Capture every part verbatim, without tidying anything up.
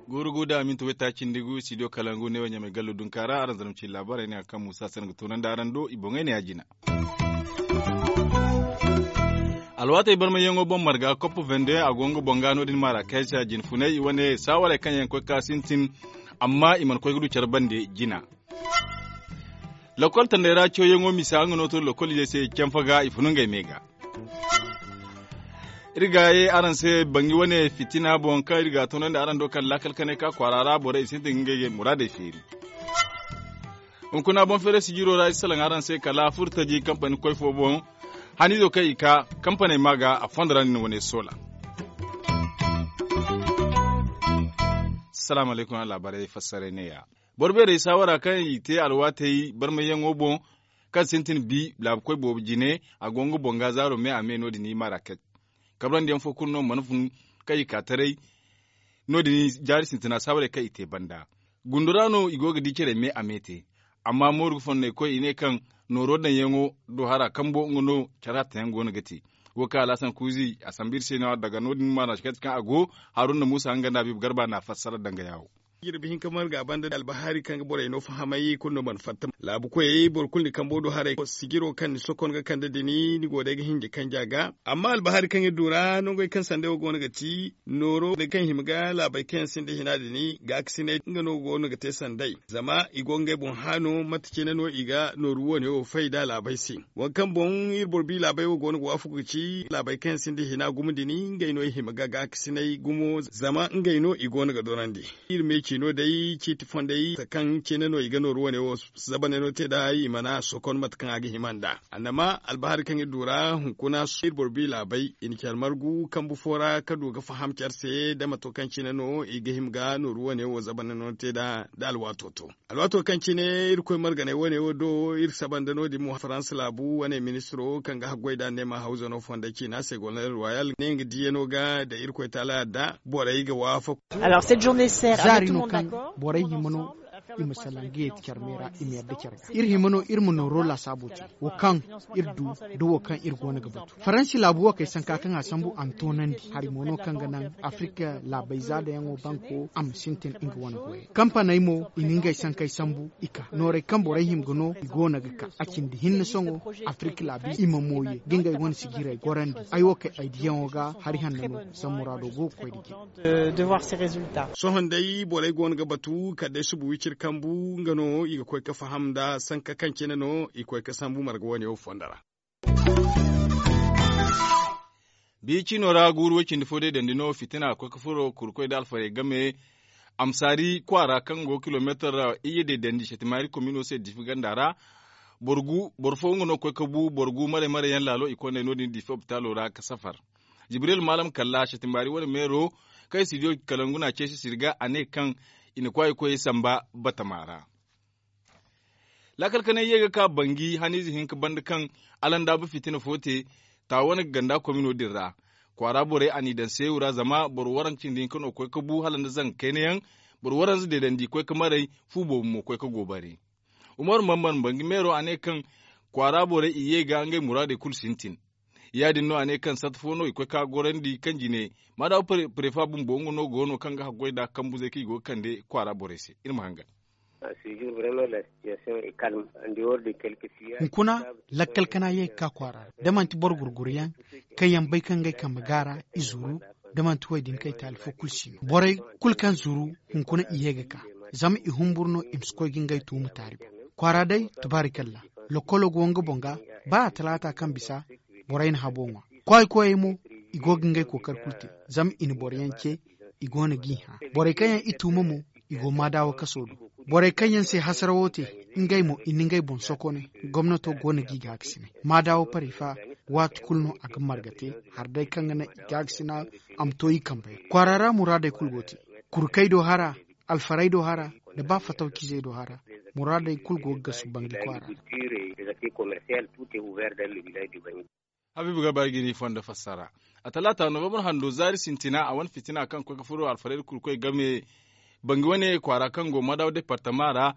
Guuru guuda minti wayta cindi gu studio kalangu ne wo ɲamay gallo dunka ra araŋ zarma ci laabaarey ne hari kaŋ muusa sanda ga toonandi araŋ do i boŋey ne ya jina. Alwaatey barmayyaŋo boŋ marga kopp vende a go nga boŋ ga no- din marakaysa jinfunay i wane saawarey kaŋ yaŋ koy ga ka sintin. Amma i mana koy ga du care bande jina. Lokol tandey ra cawyaŋo misa nga no to lokol izey se canfa ga i funu ngey me ga. Iri ga ye araŋ se bangi wane fitina boŋ kaŋ iri ga a toonandi araŋ do kaŋ laakal kanay ka kwaara ra borey i sintin ga ngey muraadey feeri. Hunkuna boŋ feeray sijiro ra i salaŋ araŋ se kala furtaji kampani koy fo boŋ. Haniizo kaŋ i ka kampaney ma ga a fondo ra nin wane soola. Salaamu alaykum a laabaarey fassaray ne- ya. Boro beerey saawara kaŋ i te alwaatey barmayyaŋo boŋ kaŋ sintin bi laabu koy boobo jine a go nga boŋ ga zaaro me a me no- din i maraket. Kabrandi yaŋ fo kulu no mana fun kaŋ i ka taray. No- din jaari sintina saawarey kaŋ i te banda gundo ra no i go ga di care me a me te. Amma mooru ga fonnay koy i ne kaŋ nooro daŋyaŋo do hara kambo nga no care hattayaŋ go no ga te. Wo kaŋ alhasan kuuzi a sambu iri se no- ya daga no- din maana kati kaŋ a go. Haruna muusa nga nda habiibu garba na a fassara danga yaawo. Jirbi hinka marga banda albahari kaŋ ga borey no fahamay kulu no mana fatta laabu koyey boro kulu ni kambo do haray sijiro kaŋ ni sokon ga kande dini ni go day ga hinji kanja ga. Amma albahari kaŋ iri du ra nongey kaŋ sanday wo go no ga ti nooro kaŋ hima ga laabey kaŋ yaŋ sinda hina dini gaakasinay nga no go no ga te sanday zama i go ngey boŋ haano mate cine no i ga nooru wane wo fay da laabey se. Waŋ kaŋ boŋ iri boro bi laabey wo go no ga waafaku ga ci laabey kaŋ yaŋ sinda hina gumo dini ngey no i hima ga gaakasinay gumo zama ngey no i go no ga dorandi. Iri me ciino day ciiti fondey mate kaŋ cine no i ga nooru wane wo zabaneno te nd'a i mana sokon mate kaŋ a ga hima nd'a. Annama albahari kaŋ iri du ra hunkuna iri boro bi laabey i na care margu kambu fo ra ka du ga faham care se da mate kaŋ cine no i ga hima ga nooru wane wo zabaneno te nd'a da alwaato to. Alwaato kaŋ cine irkoy marganey wane wo do iri saba nda no- din mo faransa laabu wane ministiro kaŋ ga haggoy nd'a neema hawzano fonda ciina se golnay ruwayal ne nga diyano ga da irkoy taala yadda borey ga waafaku. Zaari no kaŋ borey hima no i ma salaŋ ga yeeti care me ra i ma yadda care ga iri hima no iri ma nooro laasaabo te wo kaŋ iri du da wo kaŋ iri go no ga batu faransi laabu wo kay sanka kaŋ a sambu a ma toonandi hari mo no kaŋ ga naŋ afirika laabayza dayaŋo banko a ma sintin nga wane goyey kampaney mo i na ngey sankey sambu i ka noorey kaŋ borey hima ga no i go no ga ka a cindi hinne sohõ afirika laabu i ma mooye ga ngey wane sijirey gorandi ay wo kay ay diyaŋo ga hari hanno no sammuraado go ga koy nda jine. Sohõ day borey go no ga batu kala day suba wiciri kambu nga no i ga koy ga faham nda sanka kaŋ cine no i koy ga sambu marga wane wo fondo ra. Biya ciino ra guuru way-cindi fo day dandi no fitina koy ga furo kurkoy nda alfarey game. Amsaari kwaara kaŋ go kilomeetar iyye day dandi setimaari komino se difi ganda ra. Boro gu boro fo nga no koy ga bu boro gu maray maray yaŋ laalo i kondey no- din difi opitaalo ra ga safar. Jibril maalam kalla setimaari wane meero kaŋ i si diyo kalangu no a ceesi sirga a ne kaŋ i na kwaay ga koy samba batama ra. Laakal kanay ye ga ka banji haniize hinka banda kaŋ alandaabu fitina fo te. Taawane ga ganda komino din ra kwaara borey a n'i daŋ seewu ra zama boro waranka cindi hinka no koy ga bu hala nda zanga kayna yaŋ. Boro waranza deedandi koy ga maray fu boobo mo koy ga goobari. Umaru mamman banji meero a ne kaŋ kwaara borey i ye ga ngey muraadey kulu sintin. Ya- din no a ne kaŋ satta fo no i koy ga gorandi kaŋ jine maadaabu prefa bumbo nga no go no kaŋ ga haggoy nd'a kambuzey kaŋ i go ga kande kwaara borey se iri ma hangan. Hunkuna lakkal kana ye ga ka kwaara ra da manti boro gurguru yaŋ kaŋ yaŋ bay kaŋ ngey kambe gaara i zuru da manti wo- din kaŋ i taali fo kulu si no borey kulu kaŋ zuru hunkuna i ye ga ka zama i humburu no i ma si koy ga ngey tuuma taari boŋ. Kwaara day tubaarikalla. Lokkolo go nga boŋ ga ba a talaata kaŋ bisa borey na habo ŋwa. Kwaay koyey mo i go ga ngey kookari kulu te zama i na boro yaŋ ce. I go no g'i hã borey kaŋ yaŋ i tuuma mo i go maadaawo kaso do. Borey kaŋ yaŋ se hasarawo te ngey mo i na ngey boŋ sokone. Gomnato go no g'i gaakasinay maadaawo paray fa waati kulu no a ga marga te. Hari day kaŋ ga naŋ i gaakasina a ma to i kambey ra kwaara ra muraadey kulu go te. Kurkey do hara alfarey do hara nda ba fatawcizey do hara. Muraadey kulu go ga gasu banji kwaara ra. Habiibu ga bari ga ni fondo fassara. A talaata novembre hando zaari sintina a wane fitina kaŋ koy ga furo alfarey da kurkoy game bangi wane kwaara kaŋ go madaw departama ra.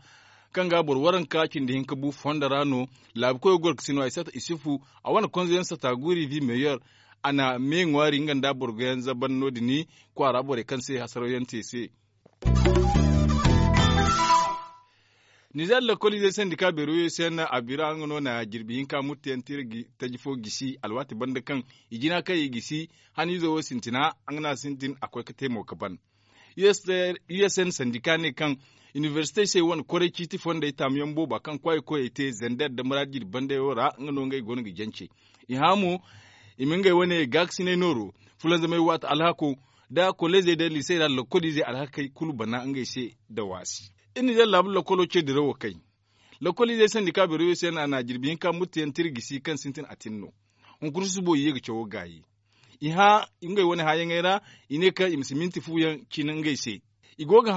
kaŋ ga boro waranka cindi hinka bu fondo ra no. Laabu koyo goro ga si no ay sata isufu a wane konzo yaŋ sata guuri vi meyer. A na me ŋwaari nga nda boro ga yaŋ zaban no- din kwaara borey kaŋ se hasaraw yaŋ te se. Nizeer lakkoliizey sandika beero yaŋ se yaŋ na a bira nga no na jirbi hinka murte yaŋ taji fo gisi alwaati banda kaŋ i jina kaŋ i gisi haniizo wo sintina. Nga no a sintin a koy ga te mo ga ban. U s n sandika ne kaŋ inibersite se wane koray ciiti fondey taamuyaŋ booba kaŋ kwaayi koyey te zander nda muraadi jirbi bandey wo ra nga no ngey go no ga jance. I hã mo i ma ngey wane gaakasinay nooro fulanzamay waati alhako nda koleezey nda liisey ra lakkoliizey alhakey kulu bana ngey se nda waasi. Iri na day laabu lakkolo ce dirawo kay. Lakkoliizey sandika beero yaŋ se no a na jirbi hinka murte yaŋ tira gisi kaŋ sintin a tin no. Hunkuna susubo i ye ga cawo gaayi. I hã ngey wane hãyaŋey ra i ne kaŋ i ma si minti fu yaŋ cine ngey se. I go ga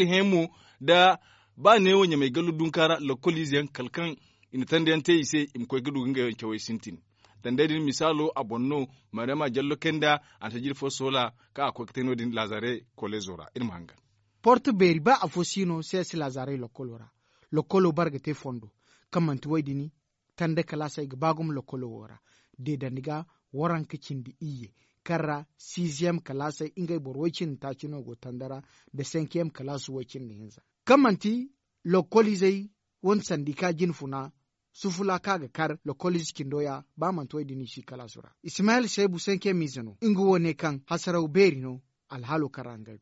hẽ mo nda ba neewo ɲamay gallu dunka ra lakkoliize yaŋ kala kaŋ i na tanda yaŋ te i se i ma koy ga du ga ngey wane cawey sintin. Tandey din misaalo a boŋ no. Mariyama jallo kay nda a na tajiri fo soola kaŋ a koy ga te no- din laazare koleezo ra iri ma hangan. Porto beeri ba afo si no seesi laazarey lokkolo ra. Lokkolo bare ga te fondo kaŋ manti wo- din tanda kalaasey ga ba gumo lokkolo wo ra. Deedandi ga waranka cindi iyye kaŋ ra siiziyem kalaasey ngey boro woy cindi taaci no go tanda ra nda senkiyem kalaasu woy cindi hinza. Kaŋ manti lokkoliizey wane sandika jinfuna sufula kaŋ a ga kar lokkoliize cindo ya ba manti wo- din i si kalaasu ra. Ismayel seebu senkiyem ize no nga wo ne kaŋ hasaraw beeri no. Alhaalo kaŋ ra nga go.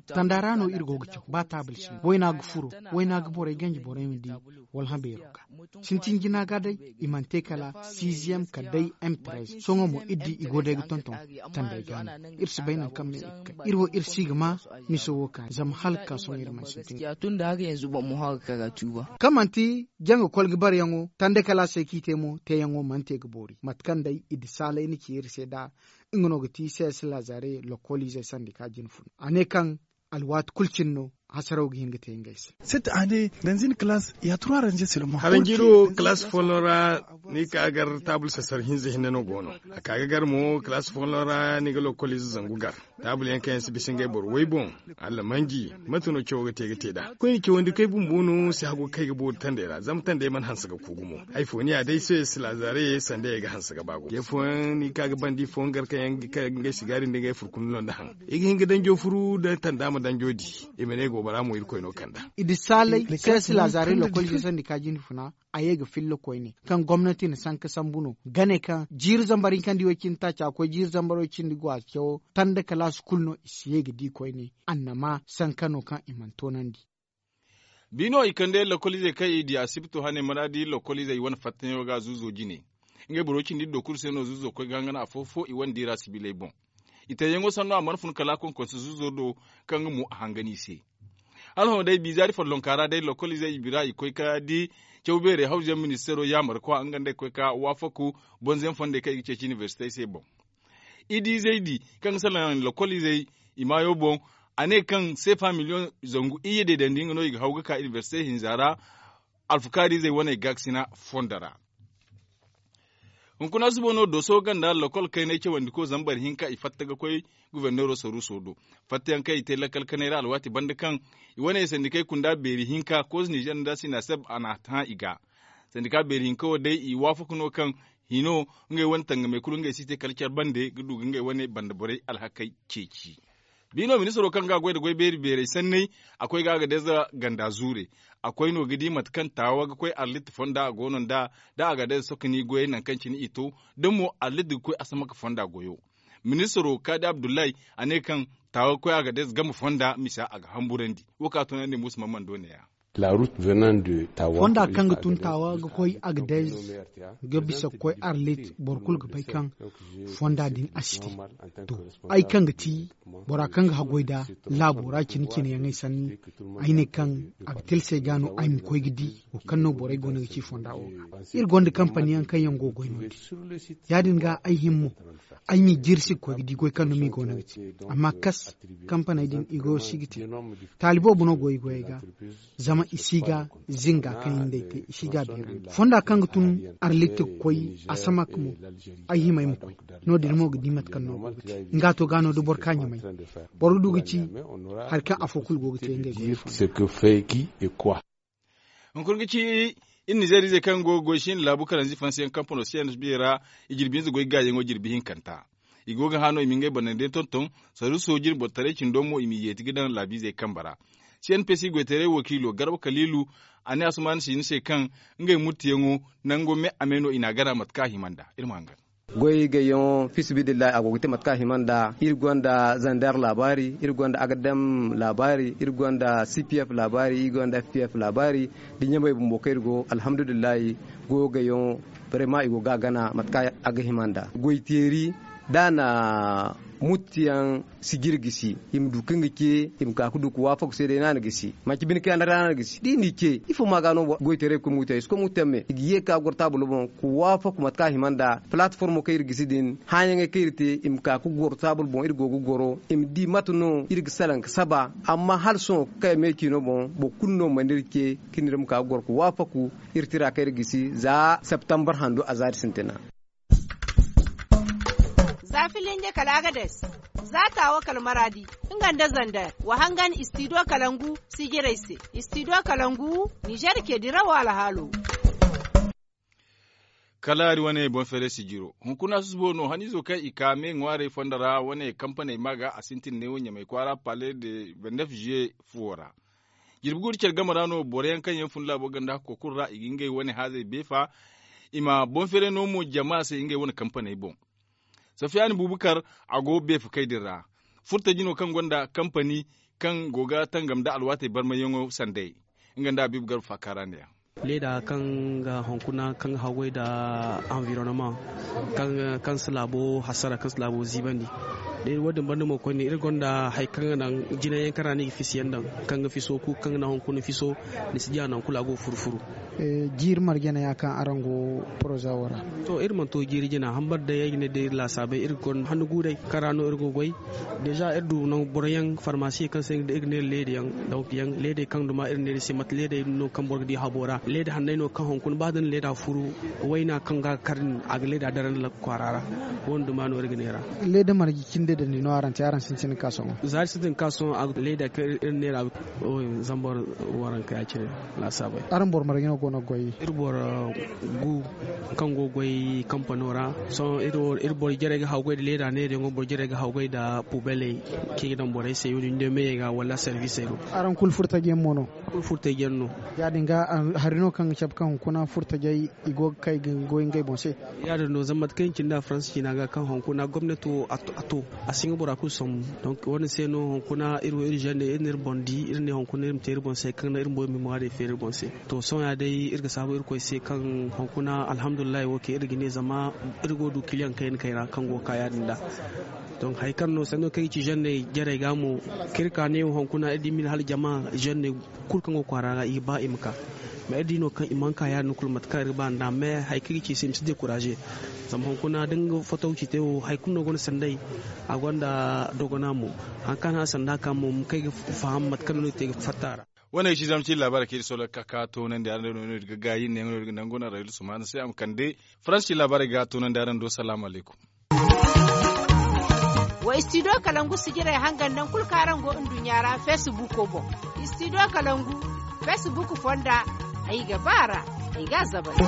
Tanda ra no iri go ga caw ba taabul si no wayna ga furo wayna ga borey ganji borey ma di. Wala hã beero ga sintin jina ga day i mana te kala siiziyem kala day m trez sohõ mo iri di i go day ga tonton. Tandey ga no iri si bay nangu kaŋ me iri kay iri wo iri si ga ma miso wo kaani zama hala ga ka sohõ iri mana sintin. Kaŋ manti janga kolga bareyaŋo tanda kala a se kaŋ i te mo teeyaŋo mana te ga boori mate kaŋ day i di saalay na ci iri se nd'a. Nga no ga ti sees laazare lokkoliizey sandika jinfuna a ne kaŋ alwaati kulu cine no hasaraw ga hin ga te ngey se. Haranjiiri wo kalaasi folloŋ ra ni ka gar taabul sasar hinza hinne no go no. A ka ga gar mo kalaasi folloŋ ra ni ga lokkoliize zangu gar taabul yaŋ kaŋ yaŋ si bisa ngey boro way boŋ. Allamanji mate no cawo ga te ga te nd'a koyne cawandikey bumbo no si hagu ga kay ga boori tandey ra zama tandey mana hanse ga ku gumo. Hari fo ni ya day se si laazare sanda ye ga hanse ga ba gumo ce fooyaŋ ni ka ga bandi fooyaŋ gar kaŋ yaŋ ga kay ga ngey sigaari nda ngey furkun no nda haŋ. I ga hin ga danjo furu da tanda ma danjo di. I ma ne goobara mo irkoy no kand'a. I di saalay sees laazare lokkoliize sandika jinfuna a ye ga filla koyne kaŋ gomnati na sanka sambu no ga ne kaŋ jiiri zambar hinkandi way cindi taaci a koy jiiri zambar way cindi go a cawo tanda kalaasi kulu no i si ye ga di koyne annama sanka no kaŋ i mana toonandi. Bi no i kande lakkoliizey kaŋ i di asibto hane maraadi lakkoliizey i wane fattayaŋo ga zuuzo jine. Ngey boro cindi iddo kulu se no zuuzo koy ga hangan afo-fo i wane diira sibiley boŋ. I teeyaŋo sanno a mana fun kala a konkonse zuuzo do kaŋ nga mo a hangan i se. Hala hõ day biizaari follonka ra day lakkoliizey i bira i koy ga di caw beerey hawzuyaŋ ministeero yaamarkwa nga nd'ey koy ga waafaku bonze yaŋ fondey kaŋ i ga ceeci inibersitey se boŋ. Idiizey di kaŋ ga salaŋ lakkoliizey i maayo boŋ. A ne kaŋ seefa miliyoŋ zangu iyye deedandi nga no i ga haw ga ka inibersite hinza ra. Alfukaariizey wane gaakasina fondo ra. Hunkuna suba no dooso ganda lakkol kaynay cawandiko zambar hinka i fatta ga koy guberneero saruuso do. Fattayaŋ kaŋ i te lakkal kanay ra alwaati banda kaŋ i wane sandikey kunda beeri hinka koos nizer nda sinaseb a n'a hã i ga. Sandika beeri hinka wo day i waafaku no kaŋ hino ngey wane tangamey kulu ngey si te kala care bande ga du ga ngey wane banda borey alhakey ceeci. Bi no ministiro kaŋ ga a goy nda goy beeri beerey sanney a koy ga agadez ganda zuure. A koy no ga di mate kaŋ taawa ga koy arlit fonda a go no nd'a da agadez sokoni goyey nangu kaŋ cine i to da mo arlit ga koy asamaka fonda goyo. Ministiro kaadi abdullahi a ne kaŋ taawa ga koy agadez game fonda misa a ga hamburandi. Wo kaŋ a toonandi muusa mamman do neeya. Fonda kaŋ ga tun taawa ga koy agadez ga bisa ga koy arlit boro kulu ga bay kaŋ fonda din a si te. To, ay kaŋ ga ti bora kaŋ ga haggoy nda laabo ra cine-cineyaŋey sanni, ay ne kaŋ a ga tilasay ga no ay ma koy ga di wo kaŋ no borey goono ga ci fonda wo ga. Iri gonda kampaniyaŋ kaŋ yaŋ go ga goy no-din. Ya-din ga ay hima mo ay m'i jirsi ga koy ga di goy kaŋ no m'i goono ga te. Amma kas kampaney din i goyo si ga te. Taali boobo no go i goyey ga. Zama I si ga zinga kaŋ i nd'ey te i si ga a beerandi fonda kaŋ ga tun arlitti ga koy a sama ka mo. Ay hima ay ma koy no- din mo ga di mate kaŋ no a go ga te. Nga to ga no da boro ka ɲamay boro ga du ga ci hari kaŋ afo kulu go ga te ngey goyo fo. Hunkuna ga ci iri nizeeriizey kaŋ go ga goy siina laabu kalanzi fansiyaŋ kampano c n p ra. I jirbi hinza goy gaayaŋo jirbi hinkanta. I go ga hã no i ma ngey banda day tonton. Saruuso jine boro taray cindo mo i m'i yeeti ga daŋ laabiizey kambe ra. C n p c goytaray wakiilo garba kaliilu a ne asuman si ni se kaŋ ngey murtiyaŋo nango me a me no i n'a gana mate kaŋ a hima nd'a. Iri ma hangan. Goy gayyaŋo fiisabilillahi a go ga te mate kaŋ a hima nd'a. Iri gonda zander laabaari, iri gonda agadam laabaari, iri gonda c p f laabaari, iri gonda f p f laabaari. Da ɲamey bumbo kaŋ iri go alhamdulillahi. Goyo gayyaŋo barema i go ga a gana mate kaŋ a ga hima nd'a. Goy teeri da a na muttiyaŋ si jire gisi i ma du kaŋ ga ce i ma ka ga du ga waafaku se day no a na gisi. Manci bine kaŋ yaŋ ra no a na gisi da i n'i ce ifo ma ga no goytaray ga koy muttiyaŋ i si koy muttiyaŋ me i ga ye ga ka ga goro taabul boŋ ga waafaku mate kaŋ a hima nd'a. Palatformo kaŋ iri gisi din hããyaŋey kaŋ iri te i ma ka ga goro taabul boŋ iri go ga goro i ma di mate no iri ga salaŋ ga saba. Amma hala sohõ kaŋ ay me ciino boŋ boro kulu no mana iri ce. Kaŋ iri ma ka ga goro ga waafaku iri tira kaŋ iri gisi za septembre handu a zaari sintina. Za filinje kala agades za taawo kala maraadi nga nda zander wa hangan istidiyo kalangu sijirey se. Istidiyo kalangu nizer ke dirawo alhaalo. Kala iri wane boŋ feeray sijiro hunkuna susubo no haniizo kaŋ i ka me ŋwaarey fondo ra wane kampaney ma ga a sintin neewo ɲamay kwaara pale de vendef juye fuwo ra. Jirbi guuru care game ra no boro yaŋ kaŋ yaŋ fun laabo ganda hakko kulu ra i ga ngey wane haazey beefa. I ma boŋ feeray no mo jama se ngey wane kampaney boŋ. Safiyani bubakar a go beefakey din ra. Furtaji no kaŋ gonda kampani kaŋ go ga tangam nda alwaatey barmayyaŋo sanday. Nga nda abiibu garba faakaara ne ya. Leeda kaŋ ga hunkuna kaŋ ga haggoy nda anvironoma kaŋ si laabo hasara kaŋ si laabo ziibandi. Day wo- din banda mo koyne iri gonda hari kaŋ ga naŋ jinay yaŋ kaŋ ra no i ga fiso yaŋ daŋ kaŋ ga fiso kulu kaŋ ga naŋ hunkuna fiso. Ni si diya nangu kulu a go ga furu furu. Jiiri marje no ya kaŋ araŋ go poroza wo ra? To iri mana to jiiri jina hambar day ay ga ne day iri laasaabey iri ga gonda handu guuray kaŋ ra no iri go ga goy. Deeza iri du nangu boro yaŋ farmasi kaŋ se iri ga ne leeda yaŋ donk yaŋ leedey kaŋ duma iri ne ni se mate leedey no kaŋ boro ga di habo ra leeda hanney no kaŋ hunkuna ba da ni leeda furu wayna kaŋ ga kar din a ga leeda daran laga kwaara ra. Wo- din duma no iri ga ne ra. Leeda marje cindi da ni no araŋ te araŋ sintin ga ka sohõ. Za iri sintin ga ka sohõ leeda kaŋ iri ne ra zambar waranka ya- cine. Laasaabey araŋ boro marje no go no ga goy? Iri boro gu kaŋ go ga goy kampano ra. Sohõ iri boro jarey ga haggoy nda leeda neerayaŋo boro jarey ga haggoy nda pubeley kaŋ i ga daŋ borey se wo- din day meyey ga wala servisey do. Araŋ kulu furtaji yaŋ mo no? Kulu furtaji yaŋ no. Ya- din ga hari no kaŋ ga cabe kaŋ hunkuna furtajey i go ga kay ga goy ngey boŋ se. Ya- din no zama mate kaŋ i na cindi a faransa ciina ga kaŋ hunkuna gomnati wo a to a si nga bora kulu sambu. Donk wo- din se no hunkuna iri wo iri zanne iri na iri boŋ di iri ne hunkuna iri ma te iri boŋ se kaŋ naŋ iri ma boy ma iri ŋwaarey feeri iri boŋ se. To sohõ ya day iri ga saabu irkoy se kaŋ hunkuna alhamdulillahi wo kaŋ iri ga ne zama iri go ga du kiliyaŋ kayna kayna kaŋ go ga ka ya- din nd'a. Donk hari kaŋ no sanno kaŋ i ci zanne jarey ga mo kaŋ iri ka ne wo hunkuna iri di mine hala jama zanne kulu kaŋ go ga kwaara ga i ga ba i ma ka. Mais iri di no kaŋ i mana ka ya- din kulu mate kaŋ iri ga ba nd'a mais hari kaŋ i ci se i ma si dekuraze. Zama hunkuna da nga foto ga ci te wo hari kulu no gonda sanday a gonda dogona mo. Hari kaŋ a na sanda ka mo ma kay ga faham mate kaŋ no iri te ga fatta a ra. Wane ay si zama ci laabaarey kaŋ iri sohõ ga ka toonandi araŋ day no iri ga gaayi iri ne yaŋ no iri ga nangu no araŋ iri sumaana se a ma kande faransi ci laabaarey ga toonandi araŋ do salaamu alaykum. Wa istidiyo kalangu sijirey hangan nangu kulu kaŋ araŋ go nduɲɲa ra feesibuuko boŋ. Istidiyo kalangu feesibuuko fonda ay ga ba a ra ay ga a zabari.